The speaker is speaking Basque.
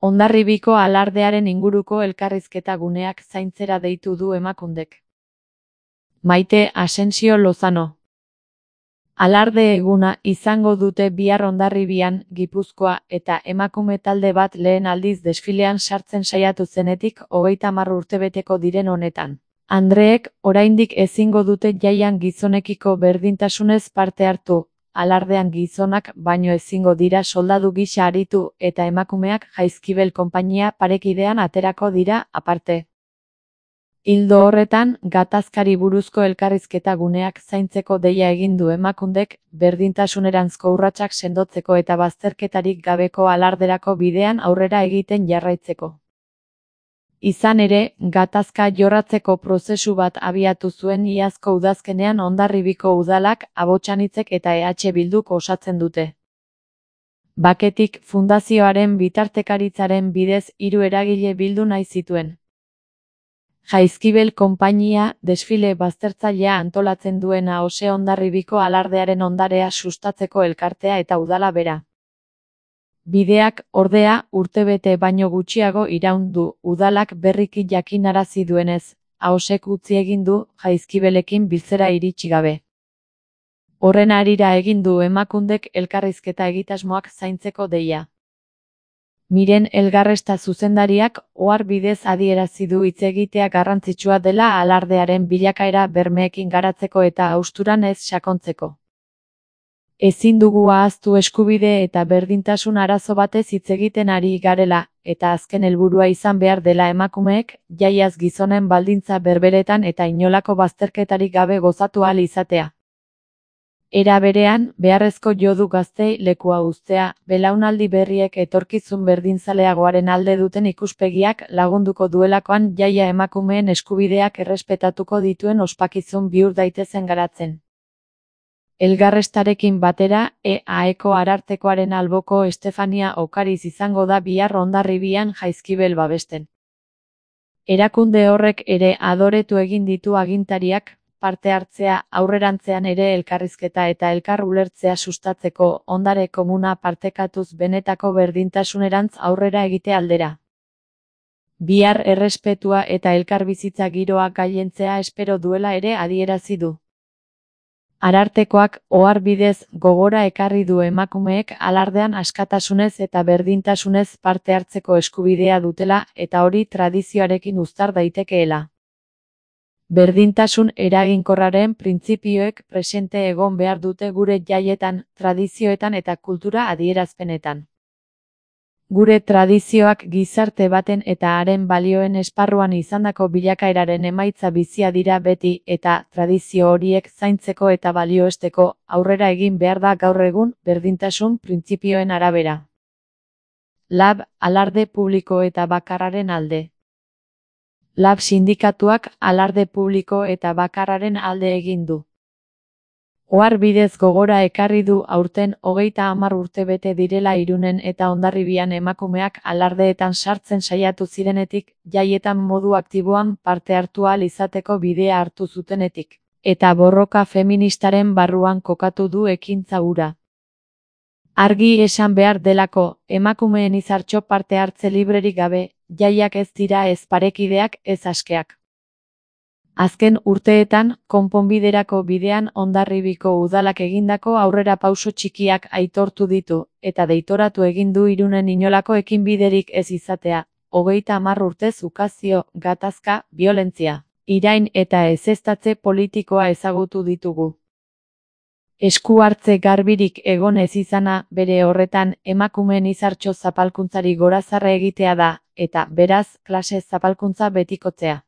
Hondarribiko alardearen inguruko elkarrizketa guneak zaintzera deitu du Emakundek. Maite Asensio Lozano. Alarde eguna izango dute bihar Hondarribian, Gipuzkoa, eta emakume talde bat lehen aldiz desfilean sartzen saiatu zenetik 30 urtebeteko diren honetan. Andreek oraindik ezingo dute jaian gizonekiko berdintasunez parte hartu, alardean gizonak baino ezingo dira soldadu gisa aritu eta emakumeak Jaizkibel konpainia parekidean aterako dira aparte. Ildo horretan, gatazkari buruzko elkarrizketa guneak zaintzeko deia egin du Emakundek, berdintasuneranzko urratsak sendotzeko eta bazterketarik gabeko alarderako bidean aurrera egiten jarraitzeko. Izan ere, gatazka jorratzeko prozesu bat abiatu zuen iazko udazkenean Hondarribiko udalak, Abotsanitzek eta EH Bilduk osatzen dute. Baketik fundazioaren bitartekaritzaren bidez 3 eragile bildu nahi zituen. Jaizkibel konpainia, desfile baztertzailea antolatzen duena Ose Hondarribiko alardearen ondarea sustatzeko elkartea eta udala bera. Bideak, ordea, urtebete baino gutxiago iraun du, udalak berriki jakinarazi duenez, Ahosek utzi egin du Jaizkibelekin biltzera iritsi gabe. Horren harira egin du Emakundek elkarrizketa egitasmoak zaintzeko deia. Miren Elgarresta zuzendariak ohar bidez adierazi du hitz egitea garrantzitsua dela alardearen bilakaera bermeekin garatzeko eta hausturan ez sakontzeko. Ezin dugu ahaztu eskubide eta berdintasun arazo batez hitz egiten ari garela, eta azken helburua izan behar dela emakumeek, jaiaz gizonen baldintza berberetan eta inolako bazterketarik gabe gozatu ahal izatea. Era berean, beharrezko jo du gaztei lekua uztea, belaunaldi berriek etorkizun berdinzaleagoaren alde duten ikuspegiak lagunduko duelakoan jaia emakumeen eskubideak errespetatuko dituen ospakizun bihur daitezen garatzen. Elgarrestarekin batera, EAeko arartekoaren alboko Estefania Okariz izango da bihar Hondarribian Jaizkibel babesten. Erakunde horrek ere adoretu egin ditu agintariak, parte hartzea, aurrerantzean ere elkarrizketa eta elkar ulertzea sustatzeko ondare komuna partekatuz benetako berdintasunerantz aurrera egite aldera. Bihar errespetua eta elkarbizitza giroa gailentzea espero duela ere adierazi du. Arartekoak ohar bidez gogora ekarri du emakumeek alardean askatasunez eta berdintasunez parte hartzeko eskubidea dutela eta hori tradizioarekin uztar daitekeela. Berdintasun eraginkorraren printzipioek presente egon behar dute gure jaietan, tradizioetan eta kultura adierazpenetan. Gure tradizioak gizarte baten eta haren balioen esparruan izandako bilakaeraren emaitza bizia dira beti eta tradizio horiek zaintzeko eta balioesteko aurrera egin behar da gaur egun berdintasun printzipioen arabera. LAB, alarde publiko eta bakarraren alde. LAB sindikatuak alarde publiko eta bakarraren alde egin du. Ohar bidez gogora ekarri du aurten 30 urte bete direla Irunen eta Hondarribian emakumeak alardeetan sartzen saiatu zirenetik, jaietan modu aktiboan parte hartu ahal izateko bidea hartu zutenetik, eta borroka feministaren barruan kokatu du ekintza hura. Argi esan behar delako, emakumeen izartxo parte hartze librerik gabe, jaiak ez dira ez parekideak ez askeak. Azken urteetan, konponbiderako bidean Hondarribiko udalak egindako aurrera pauso txikiak aitortu ditu, eta deitoratu egin du Irunen inolako ekinbiderik ez izatea, 30 urtez ukazio, gatazka, biolentzia, irain eta ezeztatze politikoa ezagutu ditugu. Esku hartze garbirik egon ez izana, bere horretan, emakumeen izartxo zapalkuntzari gorazarre egitea da, eta, beraz, klase zapalkuntza betikotzea.